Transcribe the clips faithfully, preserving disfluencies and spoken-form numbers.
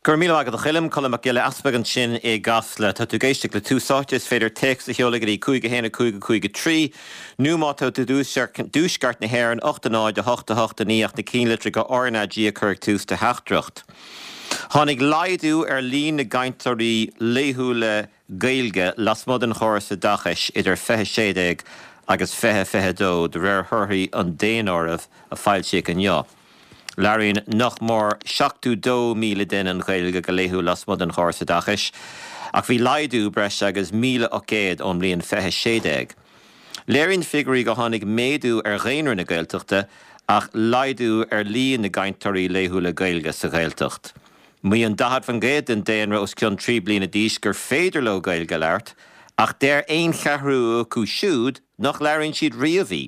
Go raibh míle maith agat a Choilm, Colm Mac Giolla Easpaig ansin i gCasla. Tá tú ag éisteacht le Tús Áite, is féidir téacs a sheoladh go dtí cúig a haon a cúig a cúig a trí nó má tá tú i dtuaisceart na hÉireann ocht a náid a hocht a hocht a naoi ach na ceannlitreacha R N A G a chur ag tús do theachtaireacht. Tháinig laghdú ar líon na gcainteoirí laethúla Gaeilge lasmuigh den chóras oideachais idir fiche sé déag agus fiche fiche dó de réir thorthaí an daonáirimh a foilsíodh inniu. Labhraíonn nach mór seachtó dó míle duine an Ghaeilge go laethúil lasmuigh den chóras oideachais, ach bhí laghdú breis agus míle ocht gcéad ón mbliain fiche sé déag. Léiríonn figiúirí go tháinig méadú ar dhaonra na Gaeltachta ach laghdú ar líon na gcainteoirí laethúla Gaeilge sa Ghaeltacht. Maíonn daichead faoin gcéad den daonra os cionn trí bliana d'aois gur féidir leo Gaeilge a labhairt, ach deir aon cheathrú acu siúd nach labhraíonn siad riamh í.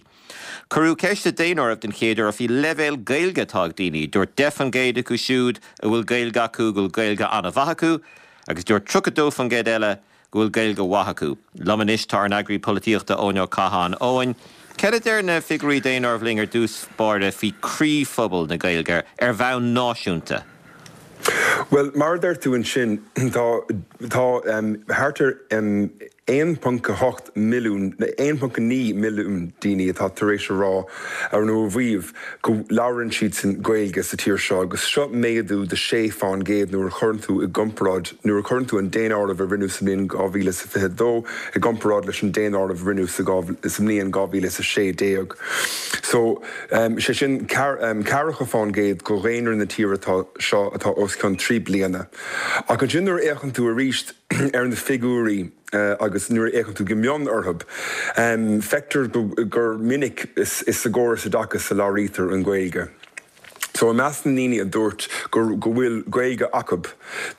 Cuireadh ceist sa daonáireamh den chéad uair faoi leibhéal Gaeilge atá ag daoine, dúirt deich faoin gcéad acu siúd a bhfuil Gaeilge acu go bhfuil Gaeilge an-mhaith acu, agus dúirt tríocha dó faoin gcéad eile go bhfuil Gaeilge mhaith acu. Liom anois tá ár n-eagraí polaitíochta Eoin Ó Catháin. Eoin, cad a deir na figiúirí daonáirimh linn ar dtús báire faoi chroíphobal na Gaeilge ar bhonn náisiúnta? Well, mar a deir tú ansin, tá tá thart ar aon ponc a hocht milliún, aon ponc a naoi milliún daoine atá tar éis a rá ar nó a mhaíomh go labhrann siadsan Gaeilge sa tír seo, agus seo méadú de sé faoin gcéad nuair a chuireann tú i gcomparáid nuair a chuireann tú an daonáireamh a rinneadh sa mbliain dhá mhíle is a fiche dó i gcomparáid leis an daonáireamh a rinneadh sa sa mbliain dhá mhíle is a sé déag. So sé sin ceathracha faoin gcéad de dhaonra na tíre atá seo atá os cionn trí bliana. Ach ansin nuair a fhéachann tú arís ar na figiúirí agus nuair a fhéachann tú go mion orthu, feictear gur minic is sa gcóras oideachais a labhraítear an Ghaeilge. So i measc na ndaoine a dúirt go go bhfuil Gaeilge acu,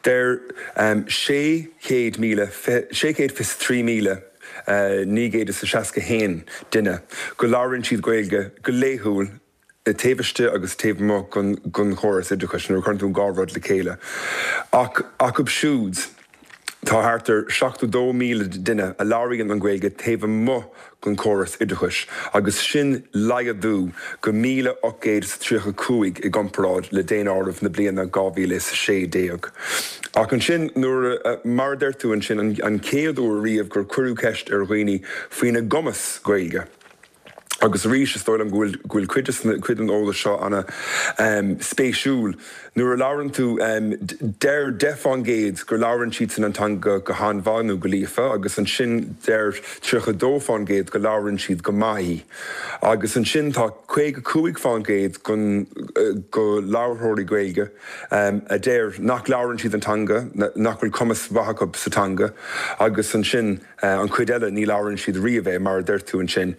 deir sé chéad míle sé chéad fiche trí míle naoi gcéad is a seasca haon duine go labhraíonn siad Gaeilge go laethúil taobh istigh agus taobh amuigh den chóras oideachais nuair a chuireann tú an dhá rud le chéile. Ach acu siúd, tá thart ar seachtó dó míle duine a labhraíonn an Ghaeilge taobh amuigh den chóras oideachais agus sin laghdú go míle ocht gcéad is tríocha cúig i gcomparáid le daonáireamh na bliana dhá mhíle is a sé déag. Ach ansin nuair a, mar a deir tú ansin, an chéad uair riamh gur cuireadh ceist ar dhaoine faoina gcumas Gaeilge. Agus arís is dóigh liom go bhfuil go bhfuil cuid de cuid den eolas seo ana spéisiúil. Nuair a labhrann tú, deir deich faoin gcéad gur labhrann siadsan an teanga go han-mhaith nó go líofa agus ansin deir tríocha dó faoin gcéad go labhrann siad go maith í. Agus ansin tá caoga cúig faoin gcéad den go labharthóirí Gaeilge a deir nach labhrann siad an teanga, nach bhfuil cumas mhaith acu sa teanga agus ansin an chuid eile ní labhrann siad riamh é mar a deir tú ansin.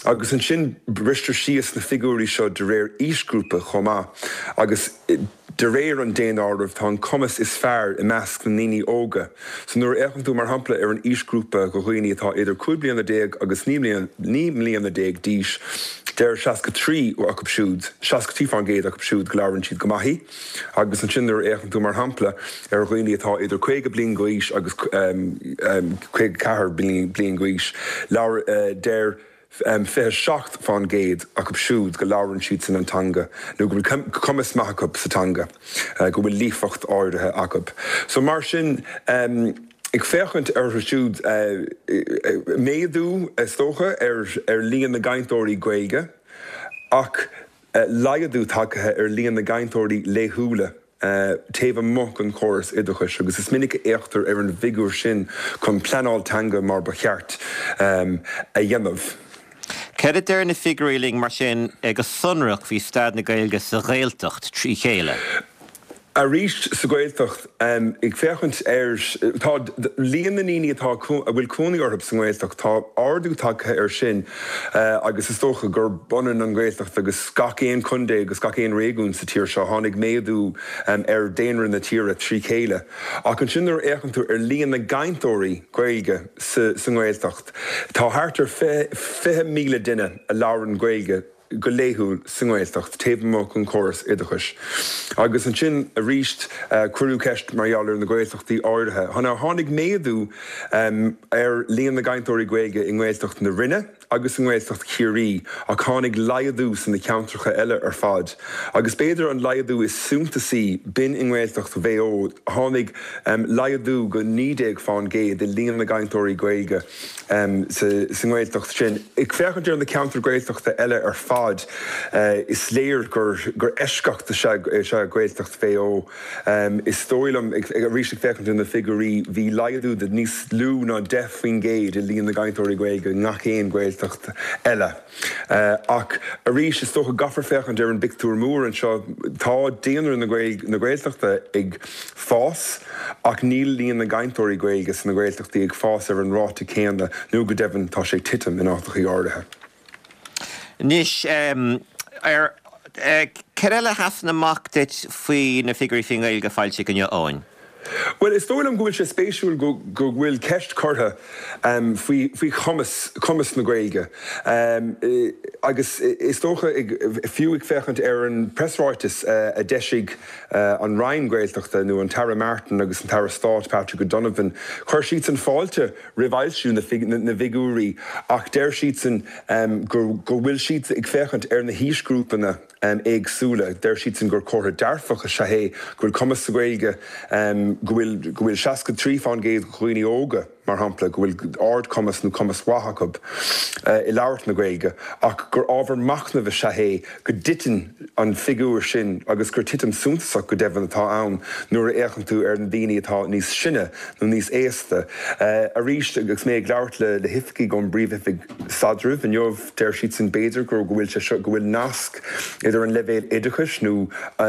Agus ansin bristear síos na figiúirí seo de réir aoisghrúpa chomh maith agus de réir an daonáirimh tá an cumas is fearr i measc na ndaoine óga. So nuair a fhéachann tú mar shampla ar an aoisghrúpa de dhaoine atá idir cúig bliana déag agus naoi mbliana déag d'aois, deir seasca trí acu siúd, seasca trí faoin gcéad acu siúd go labhrann siad go maith í. Agus ansin nuair a fhéachann tú mar shampla ar dhaoine atá idir caoga bliain d'aois agus caoga ceathair bliain d'aois, deir fiche seacht faoin gcéad acu siúd go labhrann siadsan an teanga nó go bhfuil cumas maith acu sa teanga, go bhfuil líofacht áirithe acu. So mar sin, ag féachaint orthu siúd, méadú is dócha ar líon na gcainteoirí Gaeilge ach laghdú tagtha ar líon na gcainteoirí laethúla taobh amuigh den chóras oideachais agus is minic a fhéachtar ar an bhfigiúr sin chun pleanáil teanga mar ba cheart a dhéanamh. Cad a deir na figiúirí linn mar sin go sonrach faoi staid na Gaeilge sa Ghaeltacht trí chéile? Arís sa Ghaeltacht, ag féachaint ar, tá líon na ndaoine atá, a bhfuil cónaí orthu sa nGaeltacht, tá ardú tagtha air sin agus is dócha gurb ionann an Ghaeltacht agus gach aon chontae agus gach aon réigiún sa tír seo. Tháinig méadú ar daonra na tíre trí chéile. Ach ansin nuair a fhéachann tú ar líon na gcainteoirí Gaeilge sa nGaeltacht, tá thart ar fiche míle duine a labhrann Gaeilge go laethúil sa nGaeltacht, taobh amuigh den chóras oideachais. Agus ansin arís cuireadh ceist mar gheall ar na Gaeltachtaí áirithe. Tháinig méadú ar líon na gcainteoirí Gaeilge i nGaeltacht na Rinne agus i nGaeltacht Chiarraí, ach tháinig laghdú sna ceantracha eile ar fad. Agus b'fhéidir an laghdú is suntasaí, b'in i nGaeltacht Mhaigh Eo, tháinig laghdú go naoi déag fán gcéad i líon na gcainteoirí Gaeilge sa nGaeltacht sin. Ag féachaint ar na ceantair Gaeltachta eile ar fad, is léir gur eisceacht is ea Gaeltacht Mhaigh Eo. Is dóigh liom, arís ag féachaint ar na figiúirí, bhí laghdú de níos lú ná deich faoin gcéad i líon na gcainteoirí Gaeilge i ngach aon Ghaeltacht eile. Ach arís, is dócha go gcaithfear féachaint ar an bpictiúr mór anseo. Tá daonra na Gaeltachta ag fás ach níl líon na gcainteoirí Gaeilge sna Gaeltachtaí ag fás ar an ráta céanna, nó go deimhin tá sé ag titim in áiteachaí áirithe. Anois, ar cad eile a sheasann amach duit faoi na figiúirí faoin nGaeilge foilsithe inniu, Eoin? Bhuel, is dóigh liom go bhfuil sé spéisiúil go go bhfuil ceist curtha faoi faoi chumas cumas na Gaeilge agus is dócha fiú ag féachaint ar an preasráiteas a d'eisigh an Roinn Gaeltachta nó an tAire Martin agus an tAire Stáit Patrick O'Donovan, chuir siadsan fáilte roimh fhoilsiú na na bhfigiúirí ach deir siadsan go go bhfuil siad ag féachaint ar na haoisghrúpanna éagsúla. Deir siadsan gur comhartha dearfach is ea é go bhfuil cumas sa Ghaeilge, go bhfuil go bhfuil seasca trí fán gcéad de dhaoine óga, mar shampla, go bhfuil ardchumas nó cumas mhaith acu i labhairt na Gaeilge, ach gur ábhar machnaimh is ea é go dtiteann an figiúr sin agus gur titim suntasach go deimhin atá ann nuair a fhéachann tú ar na daoine atá níos sine nó níos aosta. Arís, agus mé ag labhairt le le hoifigigh ón bPríomh-Oifig Staidrimh inniu, deir siadsan b'fhéidir go bhfuil sé seo, go bhfuil nasc idir an leibhéal oideachais nó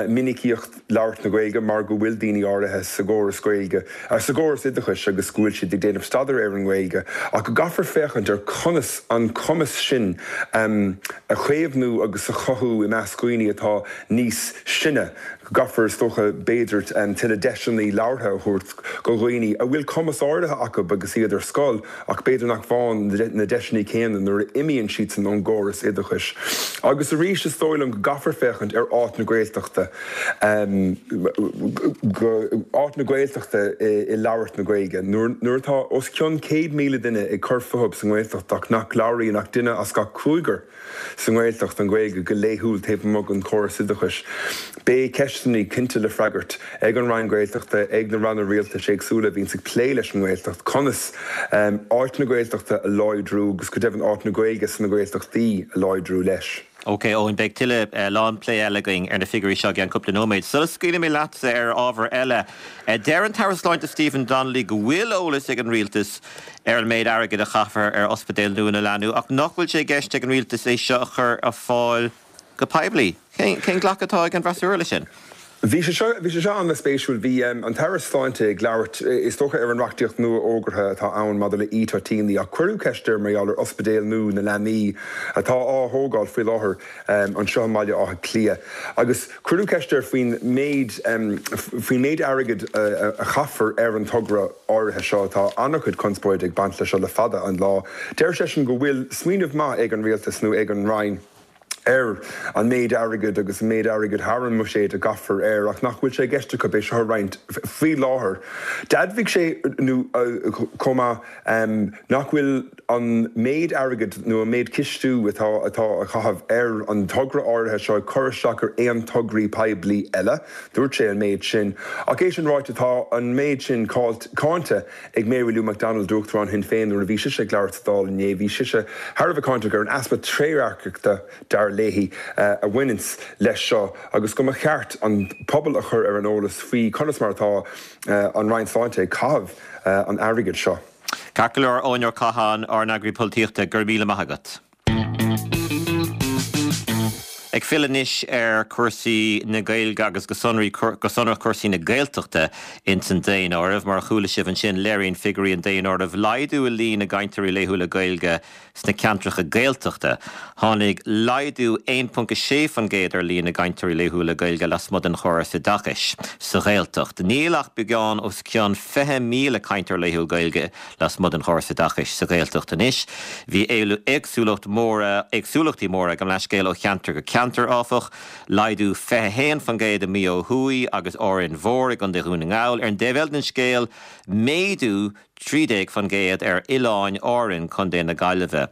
minicíocht labhairt na Gaeilge mar go bhfuil daoine áirithe sa gcóras Gaeilge, sa gcóras oideachais agus go bhfuil siad ag déanamh staidéir ar an nGaeilge ach go gcaithfear féachaint ar conas an cumas sin a chaomhnú agus a chothú i measc dhaoine atá níos sine. Go gcaithfear, is dócha, b'fhéidir, tuilleadh deiseanna labhartha a thabhairt go dhaoine a bhfuil cumas áirithe acu agus iad ar scoil ach b'fhéidir nach bhfaigheann na deiseanna céanna nuair a imíonn siadsan ón gcóras oideachais. Agus arís, is dóigh liom go gcaithfear féachaint ar áit na Gaeltachta, áit na Gaeltachta i labhairt na Gaeilge. Nuair atá os cionn céad míle duine ag cur fúthu sa nGaeltacht ach nach labhraíonn ach duine as gach cúigear, sa nGaeltacht an Ghaeilge go laethúil taobh amuigh den chóras oideachais. Beidh ceisteanna cinnte le freagairt ag an Roinn Gaeltachta, ag na ranna rialtais éagsúla a bhíonns ag plé leis an nGaeltacht, conas áit na Gaeltachta a láidriú agus go deimhin áit na Gaeilge sna Gaeltachtaí a láidriú leis. Ok, Eoin, beidh tuilleadh lán plé eile againn ar na figiúirí seo i gceann cúpla nóiméad. Sula scaoilfidh mé leatsa ar ábhar eile, deir an tAire Sláinte Stephen Donnelly go bhfuil eolas ag an Rialtas ar an méid airgid a chaithfear ar Ospidéal nua na Leanaí ach nach bhfuil sé i gceist ag an Rialtas é seo a chur ar fáil go poiblí. Cén glacadh atá ag an bhfreasúra leis sin? Bhí sé seo, bhí sé seo an-spéisiúil. Bhí an tAire Sláinte ag labhairt, is dócha, ar an reachtaíocht nua fhógartha atá ann maidir le e-toitíní ach cuireadh ceist air mar gheall ar ospidéal nua na leanaí atá á thógáil faoi láthair anseo i mBaile Átha Cliath agus cuireadh ceist air faoin méid, faoin méid airgid a chaithfear ar an togra áirithe seo. Tá an-chuid conspóide ag baint leis seo le fada an lá. Deir seisean go bhfuil smaoineamh maith ag an Rialtas nó ag an Roinn ar an méid airgid agus an méid airgid thar an mbuiséad a gcaithfear air ach nach bhfuil sé i gceist acu é seo a roinnt faoi láthair. D'admhaigh sé nó chomh maith nach bhfuil an méid airgid nó an méid cistiú atá atá á chaitheamh ar an togra áirithe seo ag cur isteach ar aon tograí poiblí eile. Dúirt sé an méid sin. Ach é sin ráite tá an méid sin cáinte ag Mary Lou McDonald, Uachtarán Shinn Féin nuair a bhí sise ag labhairt sa Dáil inné. Bhí sise thar a bheith cáinteach ar an easpa trédhearcachta, dar léi, a bhaineanns leis seo agus go mba cheart an pobal a chur ar an eolas faoi conas mar atá an Roinn Sláinte ag caitheamh an airgid seo. Ceart go leor, Eoin Ó Catháin, ár n-eagraí polaitíochta, go raibh míle maith agat. Ag filleadh anois ar chúrsaí na Gaeilge agus go sonraí, go sonrach cúrsaí na Gaeltachta ins an daonáireamh. Mar a chuala sibh ansin, léiríonn figiúirí an daonáirimh laghdú i líon na gcainteoirí laethúla Gaeilge sna ceantracha Gaeltachta. Tháinig laghdú aon ponc a sé faoin gcéad ar líon na gcainteoirí laethúla Gaeilge lasmuigh den chóras oideachais sa Ghaeltacht. Níl ach beagán os cionn fiche míle cainteoir laethúil Gaeilge lasmuigh den chóras oideachais sa Ghaeltacht anois. Bhí éagsúlacht móra, éagsúlachtaí móra, gabh mo leithscéal, ó cheantar go ceantar, áfach. Laghdú fiche a haon faoin gcéad i Maigh Eo Thuaidh agus Árainn Mhór i gContae Dhún na nGall. Ar an dtaobh eile den scéal, méadú trí déag faoin gcéad ar Oileáin Árann, Contae na Gaillimhe.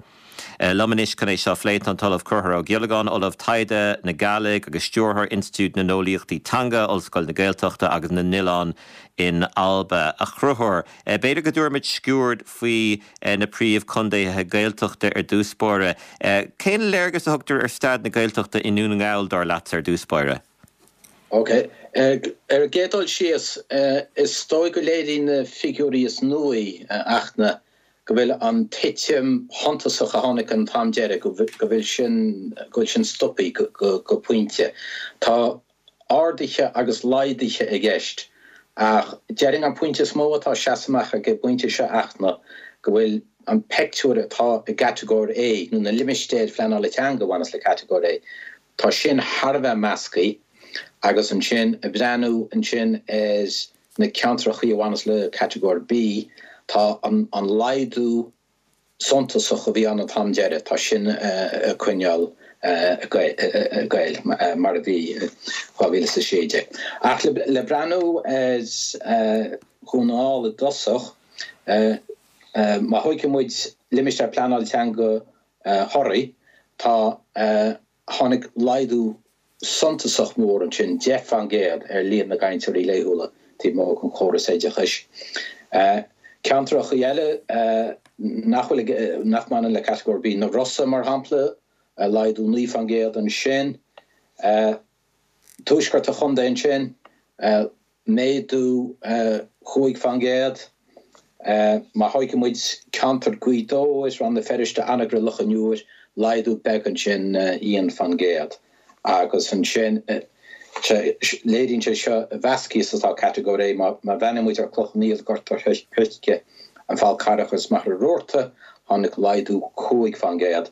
Liom anois chun é seo a phlé tá an tOllamh Conchúr Ó Giollagáin, Ollamh Taighde na Gàidhlig agus Stiúrthóir Institiúid na nEolaíochtaí Teanga, Ollscoil na Gaeltachta agus na nOileán in Alba. A Chonchúir, b'fhéidir go dtabharfaimid sciuird faoi na príomhchontaetha Gaeltachta ar dtús báire. Cén léargas a thugtar ar staid na Gaeltachta i nDún na nGall dar leat ar dtús báire? Ok. Ar an gcéad dul síos, is dóigh go léiríonn na figiúirí is nuaí, a Fhachtna, go bhfuil an titim shuntasach a tháinig an t-am deiridh, go bhfuil sin, go bhfuil sin stoptha go pointe. Tá arduithe agus laghduithe i gceist ach déarfainn an pointe is mó atá ag seasamh amach ag an bpointe seo, a Fhachtna, go bhfuil an peictiúr atá i gCatagóir A, nó na limistéir phleanála teanga a bhaineas le Catagóir A, tá sin thar a bheith measctha agus ansin ag breathnú ansin ar na ceantrachaí a bhaineas le Catagóir B, tá an laghdú suntasach a bhí ann an t-am deiridh, tá sin ag coinneáil ag goil mar a bhí i dhá mhíle is a sé déag. Ach le breathnú ar Dhún na nGall i dtosach, má thóigeann muid limistéar pleanála teanga Thoraí, tá, tháinig laghdú suntasach mór ansin, deich faoin gcéad, ar líon na gcainteoirí laethúla taobh amuigh den chóras oideachais. Ceantrachaí eile nach bhfuil, nach mbaineann le Catagóir B, na Rosa mar shampla, laghdú naoi faoin gcéad ansin. Tuaisceart an chontae ansin, méadú chúig faoin gcéad. Má thóigeann muid ceantar Ghaoth Dobhair, Rann na Feirste, Anagaire, Loch an Iúir, laghdú beag ansin, aon faoin gcéad. Agus ansin, léiríonn sé seo a mheasctha is atá Catagóir A. Má bhreathnaíonn muid ar Cloich Cheann Fhaola, Gort an Choirce, An Fál Carrach agus Machaire Rabhartaigh, tháinig laghdú cúig faoin gcéad.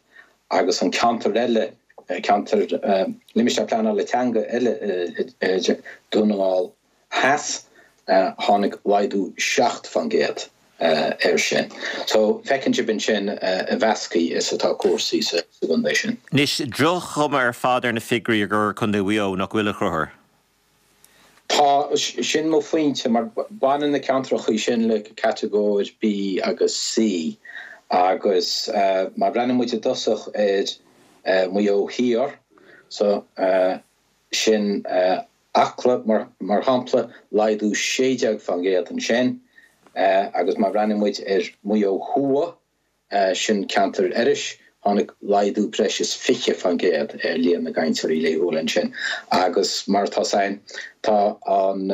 Agus an ceantar eile, ceantar, limistéar pleanála teanga eile, Dún na nGall Theas, tháinig laghdú seacht faoin gcéad air sin. So, feiceann sibh ansin a mheasctha is atá cúrsaí sa gcontae sin. Anois, droch-chuma ar fad ar na figiúirí i gcomhair Contae Mhaigh Eo, nach bhfuil, a Chonchúir? Tá, sin mo phointe, mar baineann na ceantrachaí sin le Catagóir B agus C agus má bhreathnaíonn muid i dtosach ar Mhaigh Eo Thiar, so sin Acla, mar shampla, laghdú sé déag faoin gcéad ansin agus má bhreathnaíonn muid ar Mhaigh Eo Thuaidh, sin ceantar Iorrais, tháinig laghdú breis is fiche faoin gcéad ar líon na gcainteoirí laethúla ansin agus mar atá 's againn, tá an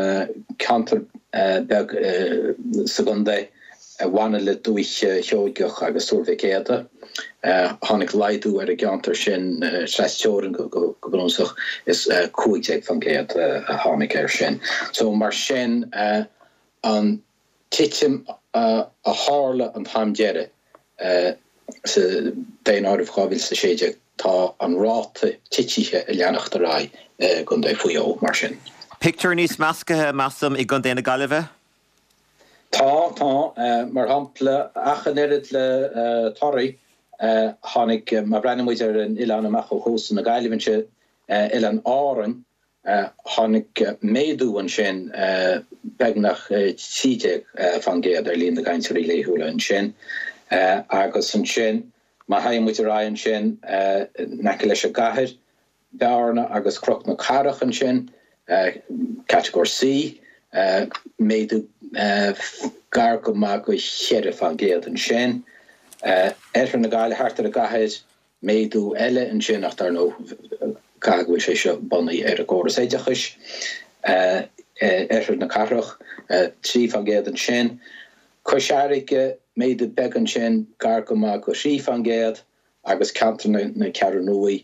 ceantar beag sa gcontae, a bhaineann le Dúiche Sheoigeach agus Tuar Mhic Éadaigh. Tháinig laghdú ar an gceantar sin trasteorann go bunúsach, is cúig déag faoin gcéad a tháinig air sin. So mar sin, an titim a tharla an t-am deiridh sa daonáireamh dhá mhíle is a sé déag, tá an ráta titithe ag leanacht ar aghaidh i gContae Mhaigh Eo mar sin. Pictiúr níos measctha, measaim, i gContae na Gaillimhe? Tá, tá. Mar shampla, ach an oiread le Toraigh, tháinig, má bhreathnaíonn muid ar an oileán amach ó chósta na Gaillimhe ansin, Oileán Árainn, tháinig méadú ansin beagnach trí déag faoin gcéad ar líon na gcainteoirí laethúla ansin. Agus ansin, má théann muid ar aghaidh ansin in aice leis an gcathair, Bearna agus Cnoc na Cathrach ansin, Catagóir C, méadú gar go maith go cheithre faoin gcéad ansin. Oirthear na Gaillimhe, thart ar an gcathair, méadú eile ansin ach dar ndóigh caithfidh go bhfuil sé seo bunaithe ar an gcóras oideachais. Oirthear na Cathrach, trí faoin gcéad ansin. Cois Fharraige, méadú beag ansin, gar go maith go thrí faoin gcéad. agus ceantar na Ceathrún Rua,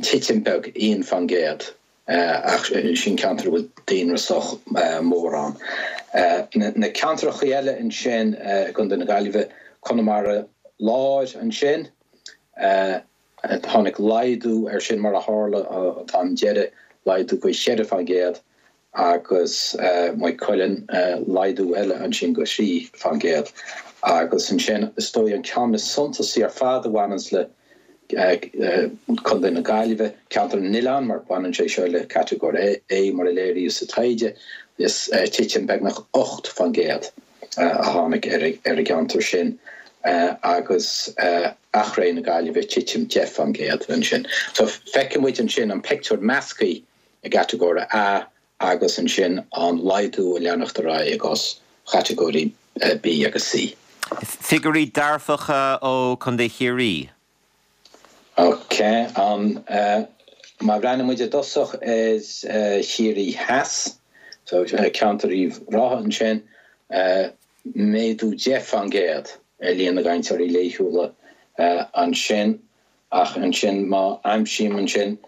titim beag, aon faoin gcéad, ach sin ceantar a bhfuil daonra sách mór ann. Na ceantrachaí eile ansin i gContae na Gaillimhe, Conamara Láir ansin, tháinig laghdú air sin mar a tharla an t-am deiridh, laghdú go cheithre faoin gcéad, agus Maigh Cuilinn, laghdú eile ansin go thrí faoin gcéad. Agus ansin, is dóigh, an ceann is suntasaí ar fad a bhaineanns le Contae na Gaillimhe, Ceantar na nOileán, mar baineann sé seo le Catagóir A mar a léiríodh sa taighde, is titim beagnach ocht faoin gcéad a tháinig ar an gceantar sin. agus Achréidh na Gaillimhe, titim deich faoin gcéad ansin. So feiceann muid ansin an pictiúr measctha i gcatagóir A agus ansin an laghdú ag leanacht ar aghaidh i gcás chatagóirí B agus C. Figiúirí dearfacha ó Chontae Chiarraí. Ok, an má bhreathnaíonn muid i dtosach ar Chiarraí Theas, so ceantar Uíbh Ráthaigh ansin, méadú deich faoin gcéad ar líon na gcainteoirí laethúla ansin, ach ansin má aimsím ansin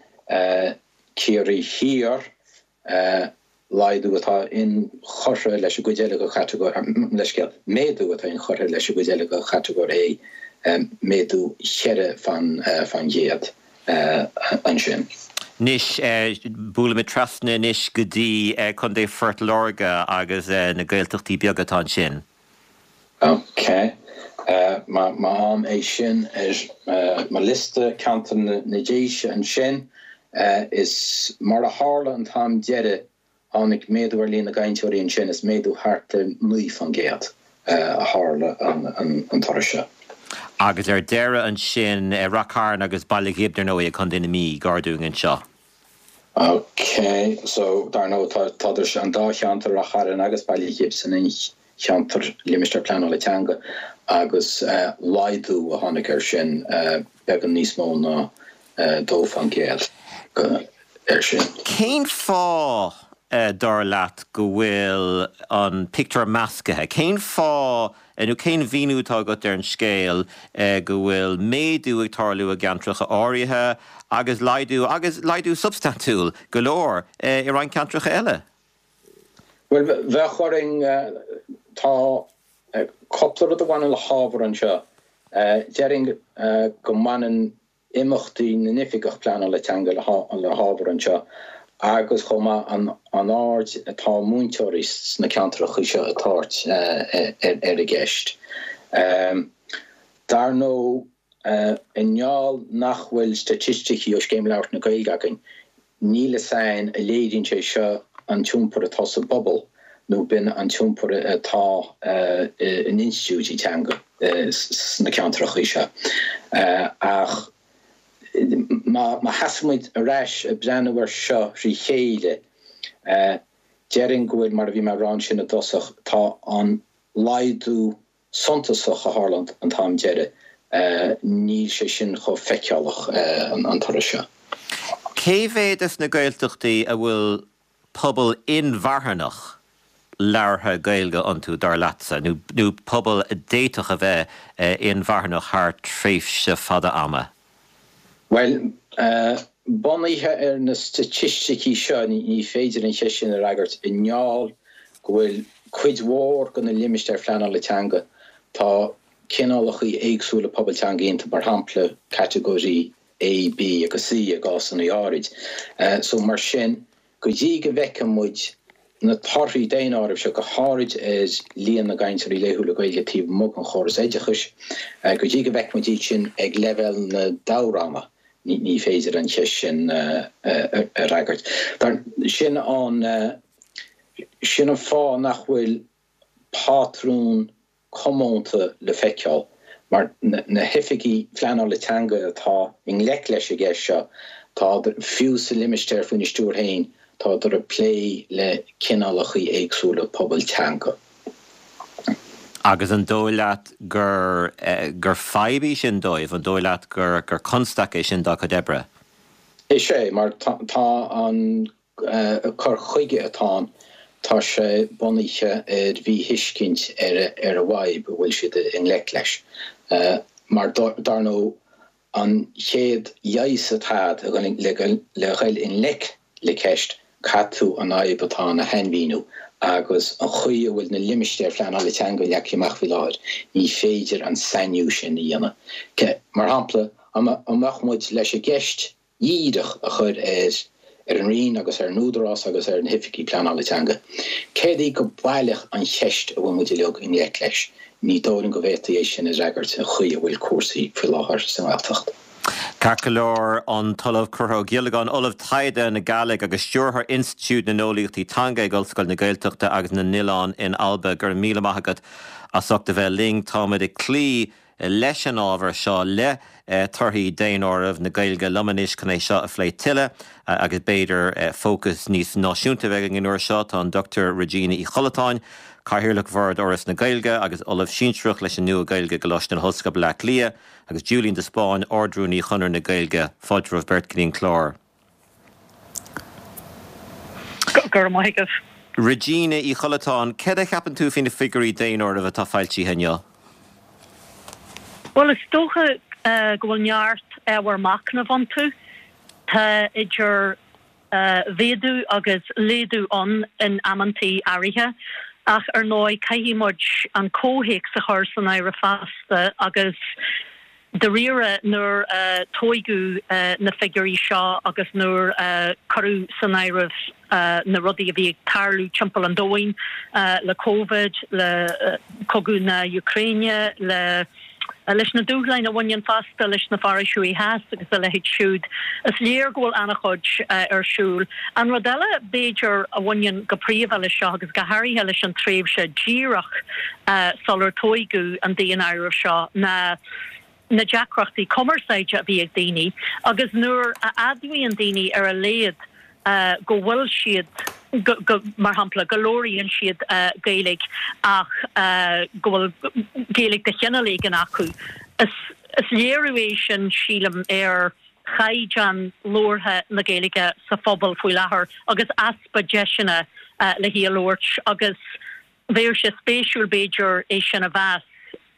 Ciarraí Thiar, laghdú atá inchurtha leis an gcuid eile de chatagóir, leithscéal, méadú atá inchurtha leis an gcuid eile de chatagóir A, méadú cheithre faoin gcéad ansin. Anois, buailimid trasna anois go dtí Contae Phort Láirge agus na Gaeltachtaí beaga atá ansin. Ok. Má fhaighim é sin ar mo liosta, ceantar na Déise ansin, is mar a tharla an t-am deiridh, tháinig méadú ar líon na gcainteoirí ansin, is méadú thart ar naoi faoin gcéad a tharla an turas seo. Agus ar deireadh ansin, Rath Cairn agus Baile Ghib, dar ndóigh, i gContae na Mí, gar dúinn anseo. Ok, so dar ndóigh tá tá an dá cheantar, Rath Chairn agus Baile Ghib, san aon cheantar Limistéar Pleanála Teanga agus laghdú a tháinig air sin beagán níos mó ná dó faoin gcéad air sin. Cén fáth, dar leat, go bhfuil an pictiúr measctha? Cén fáth nó cén mhíniú atá agat ar an scéal go bhfuil méadú ag tarlú i gceantracha áirithe agus laghdú, agus laghdú substaintiúil go leor, i roinnt ceantracha eile? Bhuel, bheadh orainn, tá cúpla rud a bhaineann le hábhar anseo. Déarfainn go mbaineann imeachtaí na n-oifigeach pleanála teanga le hábhar anseo agus chomh maith an aird atá múinteoirí sna ceantracha seo ag tabhairt ar an gceist. Dar ndóigh, i ngeall nach bhfuil staitisticí ó Scéim Labhairt na Gaeilge againn, níl fhios a'inn an léiríonn sé seo an t-iompar atá sa bpobal nó b'in an t-iompar atá in institiúidí teanga sna ceantracha seo. Ach má sheasann muid ar ais ag breathnú air seo thrí chéile, déarfainn go bhfuil, mar a bhí mé a rá ansin i dtosach, tá an laghdú suntasach a tharla an t-am deiridh, níl sé sin chomh feiceálach an turas seo. Cé mhéad de na Gaeltachtaí a bhfuil pobal inmharthanach labhartha Gaeilge iontu, dar leatsa, nó pobal a d'fhéadfadh a bheith inmharthanach thar tréimhse fada ama? Bhuel, bunaithe ar na staitisticí seo, ní féidir an cheist sin a fhreagairt i ngeall go bhfuil cuid mhór de na limistéir phleanála teanga, tá cineálacha éagsúla pobal teanga iontu, mar shampla catagóirí A, B agus C i gcásanna áirid. So mar sin, go dtí go bhfeicfidh muid na torthaí daonáirimh seo, go háirid ar líon na gcainteoirí laethúla Gaeilge taobh amuigh den chóras oideachais, go dtí go bhfeicfidh muid iad sin ag leibhéal na dtoghranna, ní féidir an cheist sin a fhreagairt. Sin an sin an fáth nach bhfuil pátrún comónta le feiceáil, mar na hoifigigh phleanála teanga atá i ngleic leis an gceist seo, tá, fiú sa limistéar faoina stiúir féin, tádar ag plé le cineálacha éagsúla pobal teanga. Agus an dóigh leat gur gur fadhb í sin dóibh? An dóigh leat gur gur constaic é sin dá gcuid oibre? Is ea, mar tá an cur chuige atá ann, tá sé bunaithe ar mhíthuiscint ar ar an bhfadhb a bhfuil siad i ngleic leis. Mar dar ndóigh, an chéad leigheas atá agat le dhul i ngleic le ceist, caithfidh tú an fhadhb atá ann a shainmhíniú agus an chaoi a bhfuil na limistéir phleanála teanga leagtha amach faoi láthair, ní féidir an sainiú sin a dhéanamh. Mar shampla, an mbeadh muid leis an gceist dhíreach a chur ar ar an Roinn agus ar an Údarás agus ar na hoifigigh pleanála teanga. Céard í go baileach an cheist a bhfuil muid uilig i ngleic leis? Ní dóigh liom go bhféadfaí é sin a fhreagairt an chaoi a bhfuil cúrsaí faoi láthair sa nGaeltacht. Ceart go leor, an tOllamh Conchúr Ó Giollagáin, Ollamh Taighde na Gàidhlig agus Stiúrthóir Institiúid na nEolaíochtaí Teanga ag Ollscoil na Gaeltachta agus na nOileán in Alba, go raibh míle maith agat as ucht a bheith linn. Táimid ag cloí leis an ábhar seo le torthaí daonáireamh na Gaeilge liom anois chun é seo a phlé tuilleadh agus b'fhéidir fócas níos náisiúnta bheith an uair seo tá an Dr Regina Uí Chollatáin, Cathaoirleach Bhord Fhoras na Gaeilge agus Ollamh Sinsearach leis an Nua-Ghaeilge i gColáiste na hOllscoile Bleá Cliath, agus Julian de Spáinn, Ard-Rúnaí Chonradh na Gaeilge, fáilte romhaibh beirt go dtí an clár. Go raibh maith agat. Regina Uí Chollatáin, céard a cheapann tú faoi na figiúirí daonáirimh atá foilsithe inniu? Bhuel, is dócha go bhfuil neart ábhar machnaimh iontu. Tá idir mhéadú agus laghdú ann in amantaí áirithe, ach ar ndóigh caithfidh muid an comhthéacs a chur san áireamh fosta agus dáiríre nuair a tóigeadh na figiúirí seo agus nuair a cuireadh san áireamh na rudaí a bhí ag tarlú timpeall an domhain le Covid, le cogadh na Úcráine, le leis na dúshláin a bhaineann fosta leis na farraigí thuaidh theas agus a leithéid siúd, is léir go bhfuil an-chuid ar siúl. An rud eile, b'fhéidir, a bhaineann go príomha leis seo agus go háirithe leis an tréimhse díreach sular tóigeadh an daonáireamh seo ná na deacrachtaí cumarsáide a bhí ag daoine agus nuair a admhaíonn daoine ar a laghad go bhfuil siad, go, mar shampla, go labhraíonn siad Gaeilge ach go bhfuil Gaeilge de chineál éigin acu. Is, is léiriú é sin, sílim, ar chaighdeán labhartha na Gaeilge sa phobal faoi láthair agus easpa deiseanna le hí a labhairt agus Bheadh sé spéisiúil, b'fhéidir, é sin a mheas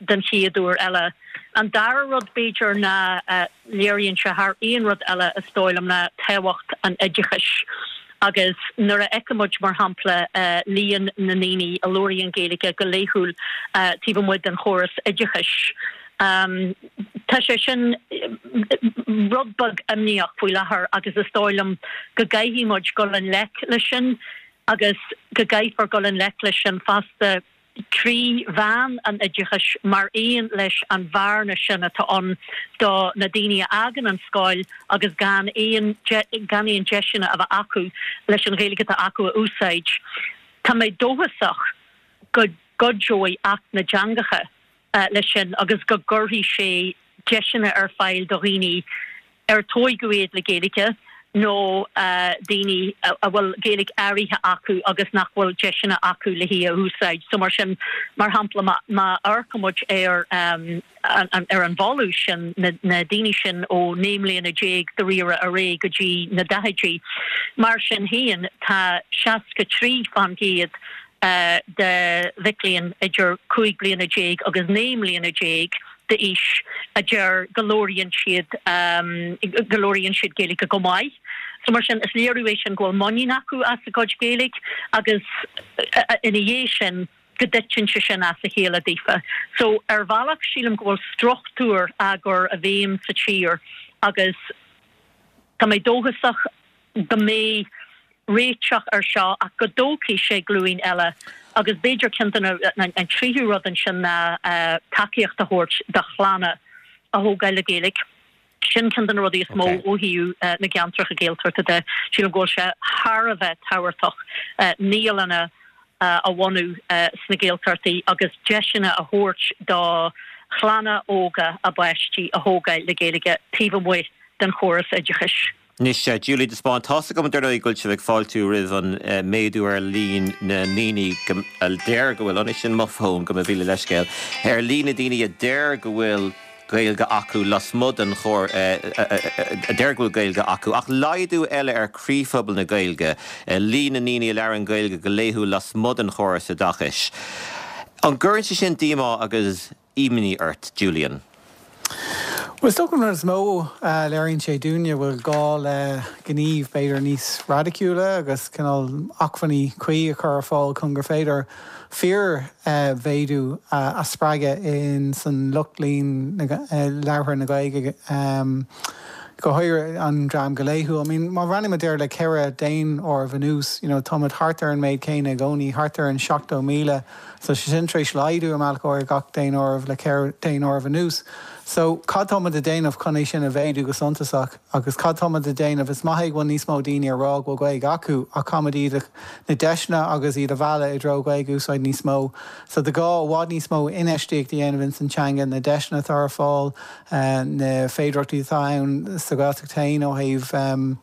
den chéad uair eile. An dara rud, b'fhéidir, ná léiríonn sé thar aon rud eile, is dóigh liom, ná tábhacht an oideachais. Agus nuair a fheicimid, mar shampla, líon na ndaoine a labhraíonn Gaeilge go laethúil taobh amuigh den chóras oideachais, tá sé sin rud beag imníoch faoi láthair agus is dóigh liom go gcaithfidh muid dul i ngleic leis sin. agus go gcaithfear dul i ngleic leis sin fosta trí mheán an oideachais mar aon leis an bhearna sin atá ann do na daoine a fhágann an scoil agus gan aon gan aon deiseanna a bheith acu leis an Ghaeilge atá acu a úsáid. Tá mé dóchasach go gcuideoidh Acht na dTeangacha leis sin agus go gcuirfidh sé deiseanna ar fáil do dhaoine ar tóigeadh iad le Gaeilge nó daoine a bhfuil Gaeilge áirithe acu agus nach bhfuil deiseanna acu le hí a úsáid. So mar sin, mar shampla, má amharcann muid ar ar an bhfolús sin, na daoine sin ó naoi mbliana déag dáiríre ar aghaidh go dtí na daichidí, mar sin féin tá seasca trí fán gcéad de mhic léinn idir cúig bliana déag agus naoi mbliana déag d'aois a deir go labhraíonn siad go labhraíonn siad Gaeilge go maith. So mar sin, is léiriú é sin go bhfuil muinín acu as a gcuid Gaeilge agus ina dhiaidh sin go dtiteann sé sin as a chéile daofa. So ar bhealach sílim go bhfuil struchtúr á gcur i bhfeidhm sa tír agus tá mé dóchasach go mbeidh réiteach ar seo ach go dtógfaidh sé glúin eile agus b'fhéidir ceann de na, an tríú rud ansin ná tacaíocht a thabhairt do chlanna a thógáil le Gaeilge. Sin ceann de na rudaí is mó ó thaobh na gceantracha Gaeltachta de. Sílim go bhfuil sé thar a bheith tábhachtach naíolanna a bhunú sna Gaeltachtaí agus deiseanna a thabhairt do chlanna óga a bpáistí a thógáil le Gaeilge taobh amuigh den chóras oideachais. Anois, Julie de Spáinn, tá's agam dar ndóigh go bhfuil sibh ag fáiltiú roimh an méadú ar líon na ndaoine a deir go bhfuil, anois sin mo fón, gabh mo mhíle leithscéal, ar líon na ndaoine a deir go bhfuil Gaeilge acu lasmuigh den chór, a deir go bhfuil Gaeilge acu, ach laghdú eile ar chroíphobal na Gaeilge, líon na ndaoine a labhrann Gaeilge go laethúil lasmuigh den chóras oideachais. An gcuireann sé sin díomá agus imní ort, Julian? Bhuel, is dócha an rud is mó a léiríonn sé dúinne bhfuil gá le gníomh b'fhéidir níos raidiciúla agus cineál acmhainní cuí a chur ar fáil chun gur féidir fíor-mhéadú a spreagadh in san lucht líon labhartha na Gaeilge, go háirithe an dream go laethúil. I mean, má bhreathnaímid air le ceithre daonáireamh anuas, you know, táimid thart ar an méid céanna i gcónaí, thart ar an seachtó míle. So sé sin tar éis laghdú i mbealach áirithe gach daonáireamh le ceithre daonáireamh anuas. So cad tá muid a dhéanamh chun é sin a mhéadú go suntasach agus cad tá muid a dhéanamh is maith go bhfuil níos mó daoine ag rá go bhfuil Gaeilge acu ach caithfimid iad na deiseanna agus iad a mhealladh i dtreo Gaeilge a úsáid níos mó. So tá gá i bhfad níos mó infheistíocht a dhéanamh ins an teanga na deiseanna atá ar fáil na féidearthachtaí atá ann sa Ghaeltacht féin ó thaobh um,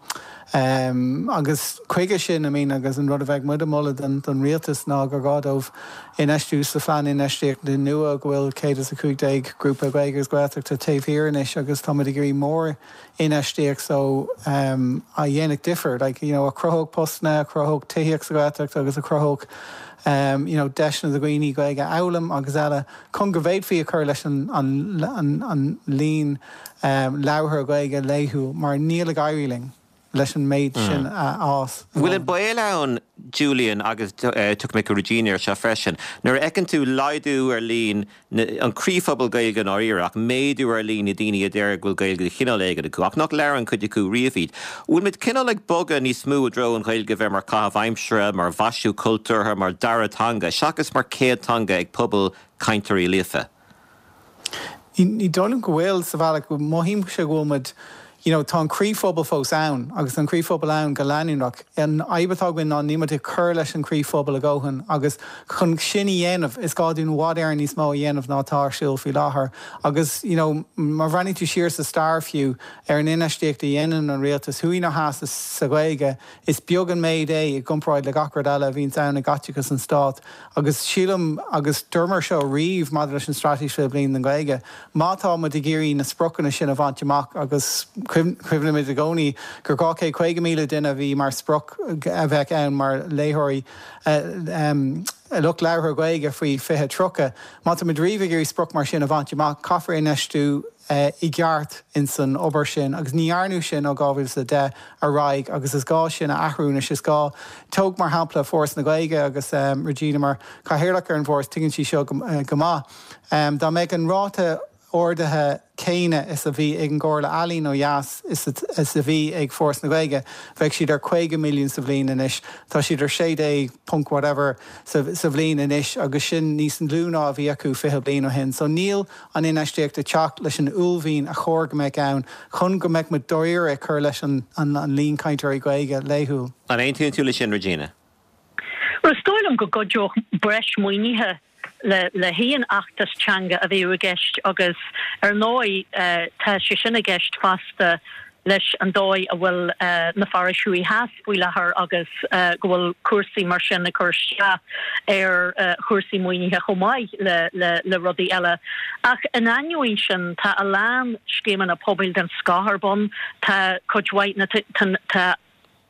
Um, agus chuige sin I mean, agus an rud a bheadh muid ag moladh don, don rialtas ná gur gá dóibh infheistiú sa phlean infheistíochta nua go bhfuil céad is a cúig déag grúpa Gaeilge agus Gaeltachta taobh thiar anois agus táimid ag iarraidh mór infheistíocht so um, a dhéanfadh difear, like, you know, a chruthódh postanna, a chruthódh tithíocht sa Ghaeltacht agus a chruthódh um, you know, deiseanna do dhaoine Gaeilge a fhoghlaim agus eile chun go bhféadfaí a chur leis an, an, an, an líon um, labhartha Gaeilge laethúil mar níl ag éirí linn leis an méid sin a fhás. Bhfuil an baol ann Julian agus tiocfaidh mé go Regina seo freisin. Nuair a fheiceann tú laghdú ar líon an croíphobal Gaeilge an áireach méadú ar líon na daoine a deir go bhfuil Gaeilge de chineál éigin acu, ach nach labhrann cuid acu riamh í. Bhfuil muid cineál ag bogadh níos mó i dtreo an Ghaeilge bheith mar chaitheamh aimsire, mar mhaisiú cultúrtha, mar dara teanga, seachas mar céad teanga ag pobal cainteoirí líofa. Ní dóigh liom go bhfuil sa bhealach go mothaím sé go bhfuil you know, tá an croíphobal fós ann agus an croíphobal ann go leanúnach. An fhadhb atá againn ná níl muid ag cur leis an croíphobal a dhóthain agus chun sin a dhéanamh is gá dúinn i bhfad Éireann níos mó a dhéanamh ná atá ar siúl faoi láthair. Agus you know, má bhreathnaíonn tú siar sa stair fiú ar an infheistíocht a dhéanann an rialtas thuaidh nó theas sa Ghaeilge, is beag an méid é i gcomparáid le gach rud eile a bhíonn ann i gcaiteachas an stát. Agus sílim agus dúramar seo riamh maidir leis an straitéis fiche bliain don Ghaeilge. Má tá muid ag iarraidh na spriocanna sin a bhaint amach agus cuimhnímid i gcónaí gur dhá chéad caoga míle duine a bhí mar sprioc a bheith ann mar léitheoirí um, lucht labhartha Gaeilge faoi fiche tríocha. Má tá muid riamh ag iarraidh sprioc mar sin a bhaint amach caithfear infheistiú uh, i gceart in san obair sin, agus ní dhearnadh sin ó dhá mhíle is a deich ar aghaidh agus is gá sin a athrú anois is gá tóg mar shampla Foras na Gaeilge agus um, Regina mar cathaoirleach ar an bhForas tuigeann sí seo go, uh, go maith. Um, dá mbeadh an ráta ardaithe céanna is a bhí ag an gComhairle Ealaíon ó dheas is, is a bhí ag Foras na Gaeilge, bheadh siad ar caoga milliún sa bhliain anois, Tá siad ar sé déag ponc whatever sa, sa bhliain anois agus sin níos lú ná a bhí acu fiche bliain ó shin. So níl an infheistíocht ag teacht leis an uaillmhian a chóir go mbeadh ann chun go mbeadh muid dáiríre ag cur leis an, an, an líon cainteoirí Gaeilge laethúil. An aontaíonn tú leis sin Regina? Well, is dóigh liom go gcuideodh breis maoinithe le le haon fheachtas teanga a bheadh i gceist agus ar ndóigh uh, tá sé sin i gceist fosta leis an dóigh a bhfuil uh, na forais thuaidh theas faoi láthair agus uh, go bhfuil cúrsaí mar sin ag cur isteach ar uh, chúrsaí maoinithe chomh maith le, le, le rudaí eile. Ach in ainneoin sin tá a lán scéimeanna pobail den scoth ar bun tá cuid mhaith na tá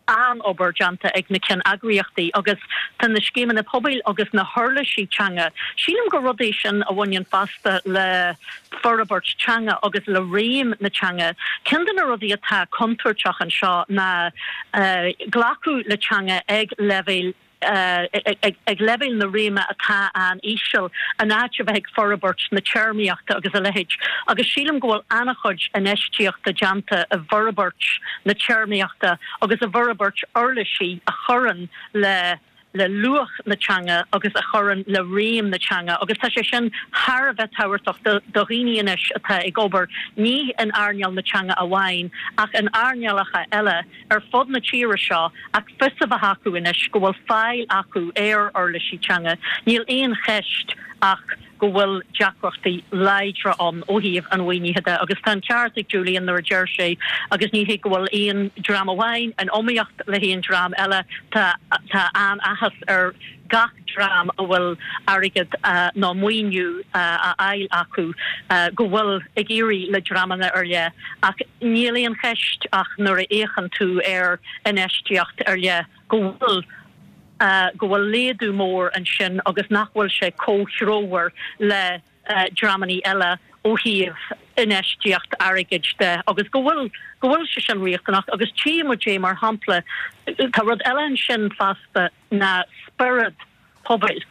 an-obair déanta ag na ceanneagraíochtaí agus tá na scéimeanna pobail agus na huirlisí teanga. Sílim gur rudaí sin a bhaineann fosta le forbairt teanga agus le réim na teanga. Ceann de na rudaí atá contúirteach anseo ná uh, glacadh le teanga ag leibhéal Uh, ag, ag leibhéal na réime atá an-íseal in áit a bheith ag forbairt na téarmaíochta agus a leithéid. Agus sílim go bhfuil an-chuid infheistíochta déanta i bhforbairt na téarmaíochta agus i bhforbairt uirlisí a chuireann le le luach na teanga agus a chuireann le réim na teanga, agus tá sé sin thar a bheith tábhachtach do dhaoine anois atá ag obair ní in earnáil na teanga amháin ach in earnálacha eile ar fud na tíre seo ach fios a bheith acu anois go bhfuil fáil acu ar uirlisí teanga. Níl aon cheist ach go bhfuil deacrachtaí láidre ann ó thaobh an mhaoinithe de agus tá an ceart ag Julian nuair a deir sé agus ní hé go bhfuil aon dream amháin in iomaíocht le haon dream eile tá tá an-áthas ar gach dream a bhfuil airgead uh, nó maoiniú uh, a fháil acu uh, go bhfuil ag éirí le dreamanna ar leith ach níl aon cheist ach nuair a fhéachann tú ar infheistíocht ar leith go bhfuil uh, go bhfuil laghdú mór ansin agus nach bhfuil sé comhthreomhar le uh, dreamanna eile ó thaobh infheistíocht airgid de agus go bhfuil go bhfuil sé sin riachtanach agus tchímid é mar shampla tá rud eile ansin fosta ná spiorad pobail.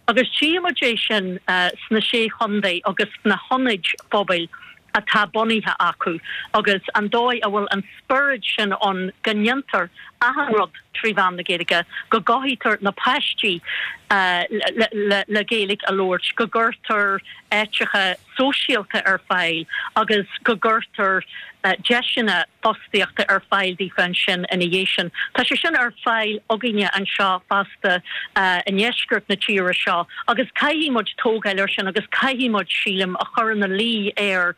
Agus tchímid é sin uh, sna sé chontae agus na hionaid phobail atá bunaithe acu agus an dóigh a bhfuil an spiorad sin ann go ndéantar achan rud trí mheán na Gaeilge go gcothaítear na páistí uh, le, le, le Gaeilge a labhairt go gcuirtear áiteacha sóisialta ar fáil agus go gcuirtear deiseanna fostaíochta ar fáil daofa ansin ina dhiaidh sin. Tá sé sin ar fáil againne anseo fosta i ndeisceart na tíre seo agus caithfidh muid tógáil air sin agus caithfidh muid, sílim, a chur ina luí ar